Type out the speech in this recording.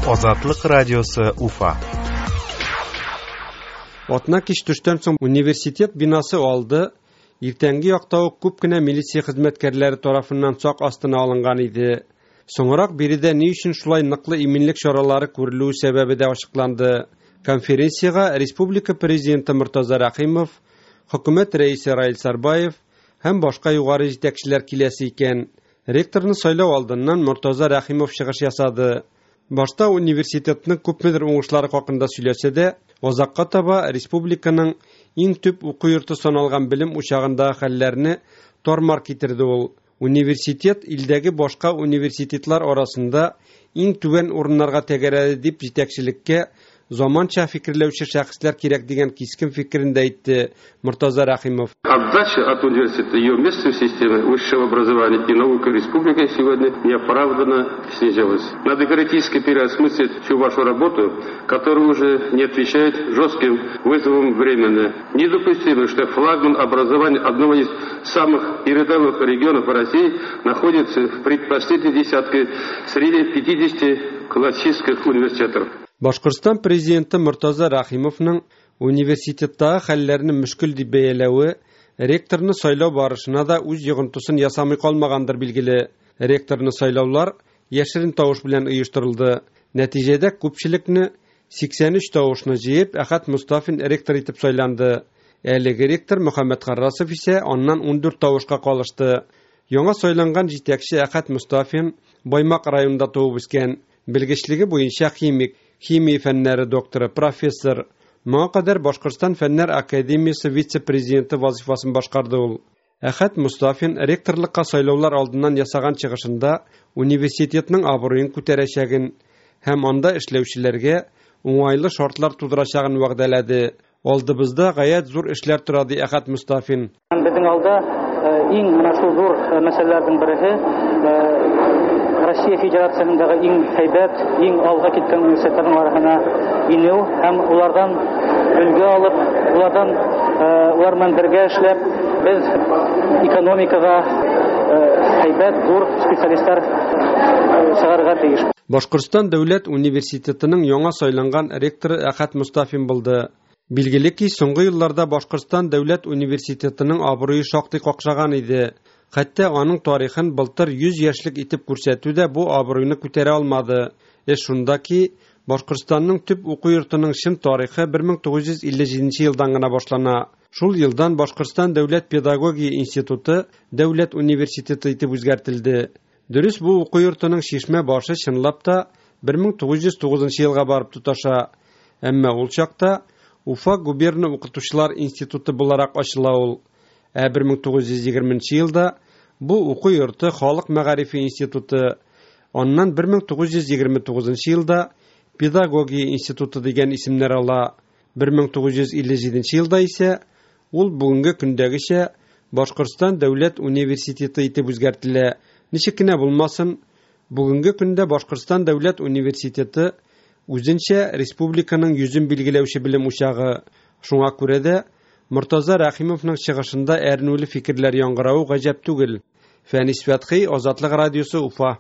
Азатлык радиосы Уфа. Атна кич төштән соң университет бинасы алды иртәнге якта ук күп кенә милиция хезмәткәрләре тарафыннан сак астына алынган иде. Соңрак биредә ни өчен шулай ныклы иминлек чаралары күрелүе сәбәбе дә ачыкланды. Конференциягә республика президенты Мортаза Рәхимов, хөкүмәт рәисе Раил Сарбаев һәм башка югары җитәкчеләр киләсе икән. Ректорны сайлау алдыннан Мортаза Рәхимов чыгыш ясады. Башта университетның күпмедер уңышлары хакында сөйләсә дә, азакка таба республиканың иң төп уку йорты саналган белем учагындагы хәлләрне тар-мар китерде ул. Университет илдәге башка университетлар арасында иң түбән урыннарга тәгәрәде дип җитәкчелеккә заманча фикерләүче шәхесләр кирәк дигән кискен фикерен дә әйтте Мортаза Рәхимов. Отдача от университета, ее место в системе высшего образования и науки республики сегодня неоправданно снизилось. Надо критически переосмыслить всю вашу работу, которая уже не отвечает жестким вызовам времени. Недопустимо, что флагман образования одного из самых передовых регионов России находится в предпоследней десятке среди 50 классических университетов. Башкортстан президенты Мортаза Рәхимовның университеттагы хәлләрне мөшкел дип бәяләве ректорны сайлау барышына да үз йогынтысын ясамый калмагандыр билгеле. Ректорны сайлаулар яшерен тавыш белән оештырылды. Нәтиҗәдә күпчелекне 83 тавышны җыеп, Әхәт Мустафин ректор итеп сайланды. Әлеге ректор Мөхәммәт Харрасов исә аннан 14 тавышка калышты. Яңа сайланган җитәкче Әхәт Мустафин Баймак районында туып үскән. Белгечлеге буенча химик, химия фәннәре докторы, профессор. Моңа кадәр Башкортстан Фәннәр академиясе вице-президенты вазифасын башкарды ул. Әхәт Мустафин ректорлыкка сайлаулар алдыннан ясаган чыгышында университетның абруен күтәрәчәген һәм анда эшләүчеләргә уңайлы шартлар тудырачагын вәгъдәләде. Алдыбызда гаять зур эшләр тора, ди Әхәт Мустафин. Безнең алда иң менә шул зур мәсьәләләрнең берсе Россия Федерациясендәге иң һәйбәт, иң алга киткән университетларның арасына инү һәм улардан өлге алып, улардан улар белән бергә эшләп, без экономикага һәйбәт зур специалистлар чыгарырга тиеш. Башкортстан дәүләт университетының яңа сайланган ректоры Әхәт Мустафин булды. Билгеле ки, соңгы елларда Башкортстан дәүләт университетының абруе шактый какшаган иде. Хәтта аның тарихын былтыр 100 яшьлек итеп күрсәтү дә бу абруйны күтәрә алмады. Эш шунда ки, Башкортстанның төп уку йортының чын тарихы 1957 елдан гына башлана. Шул елдан Башкортстан дәүләт педагогия институты дәүләт университеты итеп үзгәртелде. Дөрес, бу уку йортының чишмә башы чынлап та 1909 елга барып тоташа. Әмма ул чакта Уфа губерна укытучылар институты буларак ачыла ул. Ә 1920 елда бу уку йорты Халык мәгарифе институты, аннан 1929 елда Педагогия институты дигән исемнәр ала. 1957 елда исә ул бүгенге көндәгечә Башкортстан дәүләт университеты итеп үзгәртелә. Ничек кенә булмасын, бүгенге көндә Башкортстан дәүләт университеты үзенчә республиканың йөзен билгеләүче белем учагы. Шуңа күрә дә Мортаза Рәхимовның чыгышында әрнүле фикерләр яңгыравы гаҗәп түгел. Фәнис Фәтхи, Азатлык радиосы, Уфа.